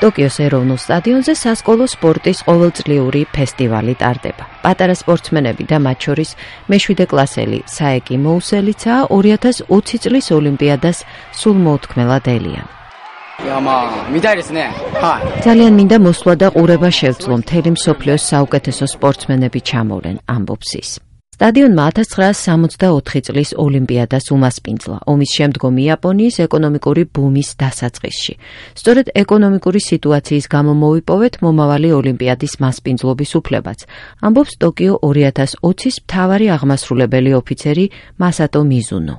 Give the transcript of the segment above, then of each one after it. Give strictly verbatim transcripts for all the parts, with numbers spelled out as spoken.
ტოკიოს ეროვნულ სტადიონზე სასკოლო სპორტის ყოველწლიური ფესტივალი ტარდება. პატარა სპორტსმენები და მათ შორის მეშვიდე კლასელი საეკი მოუსელიცაა ორი ათას ოცი წლის ოლიმპიადას სულ მოუთქმელად ელიან. ძალიან მინდა მოსვლა და ყურება შევძლო, მთელი მსოფლიოს საუკეთესო სპორტსმენები ჩამოვლენ, ამბობს ის. სტადიონმა ათას ცხრაასი სამოცდაოთხი წლის ოლიმპიადას უმასპინძლა, ომის შემდგომ იაპონიის ეკონომიკური ბუმის დასაწყისში. სწორედ ეკონომიკური სიტუაციის გამო მოვიპოვეთ მომავალი ოლიმპიადის მასპინძლობის უფლებაც, ამბობს ტოკიო ორი ათას ოცის მთავარი აღმასრულებელი ოფიცერი მასატო მიზუნო.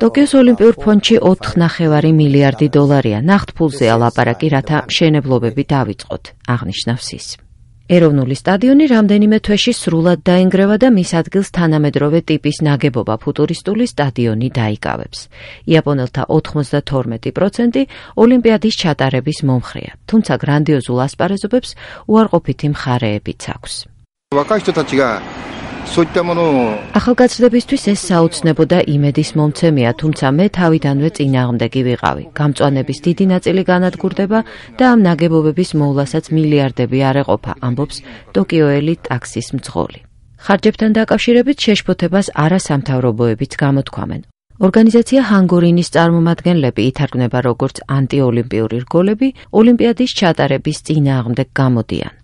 ტოკიოს ოლიმპიურ ფონდში ოთხ ნახევარი მილიარდი დოლარია, ნახტფულზეა ლაპარაკი, რათა მშენებლობები დავიწყოთ, აღნიშნავს ის. ეროვნული სტადიონი რამდენიმე თვეში სრულად დაინგრევა და მის ადგილს თანამედროვე ტიპის ნაგებობა ფუტურისტული სტადიონი დაიკავებს. იაპონელთა ოთხმოცდათორმეტი პროცენტი ოლიმპიადის ჩატარების მომხრეა, თუმცა გრანდიოზულ ასპარეზობებს უარყოფითი მხარეებიც აქვს. ახალგაზრდებისთვის ეს საოცნებო და იმედის მომცემია, თუმცა მე თავიდანვე წინააღმდეგი ვიყავი. გამწვანების დიდი ნაწილი განადგურდება და ამ ნაგებობების მოვლასაც მილიარდები არ ეყოფა, ამბობს ტოკიოელი ტაქსის მძღოლი. ხარჯებთან დაკავშირებით შეშფოთებას არასამთავრობოებიც გამოთქვამენ. ორგანიზაცია ჰანგორინის წარმომადგენლები ითარგმნება როგორც ანტიოლიმპიური რგოლები, ოლიმპიადის ჩატარების წინააღმდეგ გამოდიან.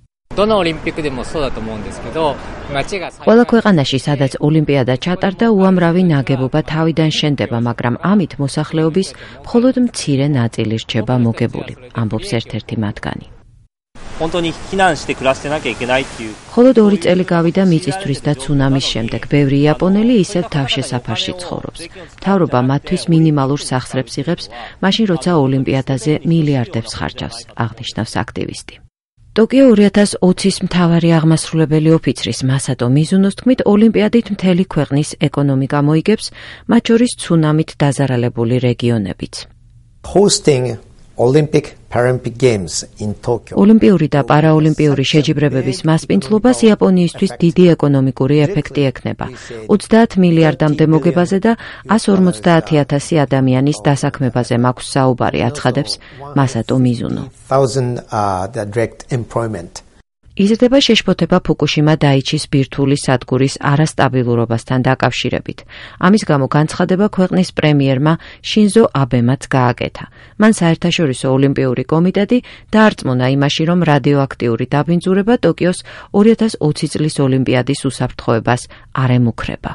ყველა ქვეყანაში, სადაც ოლიმპიადა ჩატარდა, უამრავი ნაგებობა თავიდან შენდება, მაგრამ ამით მოსახლეობის მხოლოდ მცირე ნაწილი რჩება მოგებული, ამბობს ერთ-ერთი მათგანი. მხოლოდ ორი წელი გავიდა მიწისძვრის და ცუნამის შემდეგ, ბევრი იაპონელი ისევ თავშესაფარში ცხოვრობს. მთავრობა მათთვის მინიმალურ სახსრებს იღებს, მაშინ როცა ოლიმპიადაზე მილიარდებს ხარჯავს, აღნიშნავს აქტივისტი. ტოკიო ორი ათას ოცის მთავარი აღმასრულებელი ოფიცრის მასატო მიზუნოს თქმით, ოლიმპიადით მთელი ქვეყნის ეკონომიკა მოიგებს, მათ შორის ცუნამით დაზარალებული რეგიონებიც. ოლიმპიური და პარაოლიმპიური შეჯიბრებების მასპინძლობას იაპონიისთვის დიდი ეკონომიკური ეფექტი ექნება. ოცდაათ მილიარდამდე მოგებაზე და ასი ორმოცდაათი ათასი ადამიანის დასაქმებაზე მაქვს საუბარი, აცხადებს მასატო მიზუნო. იზრდება შეშფოთება ფუკუშიმა დაიჩის ბირთვული სადგურის არასტაბილურობასთან დაკავშირებით. ამის გამო განცხადება ქვეყნის პრემიერმა შინზო აბემაც გააკეთა. მან საერთაშორისო ოლიმპიური კომიტეტი დაარწმუნა იმაში, რომ რადიოაქტიური დაბინძურება ტოკიოს ორი ათას ოცი წლის ოლიმპიადის უსაფრთხოებას არ ემუქრება.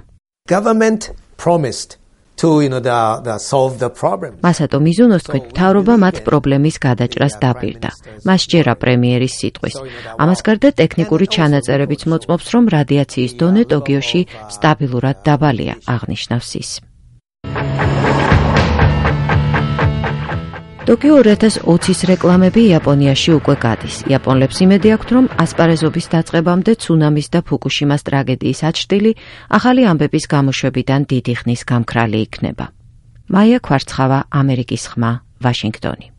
მასატო მიზუნოს თქმით, მთავრობა მათ პრობლემის გადაჭრას დაპირდა. მას სჯერა პრემიერის სიტყვის. ამას გარდა ტექნიკური ჩანაწერებიც მოწმობს, რომ რადიაციის დონე ტოკიოში სტაბილურად დაბალია, აღნიშნავს ის. ტოკიო ორი ათას ოცის რეკლამები იაპონიაში უკვე გადის. იაპონლებს იმედი აქვთ, რომ ასპარეზობის დაწყებამდე ცუნამის და ფუკუშიმას ტრაგედიის აჩრდილი ახალი ამბების გამოშვებიდან დიდი ხნის გამქრალი იქნება. მაია ქვარცხავა, ამერიკის ხმა, ვაშინგტონი.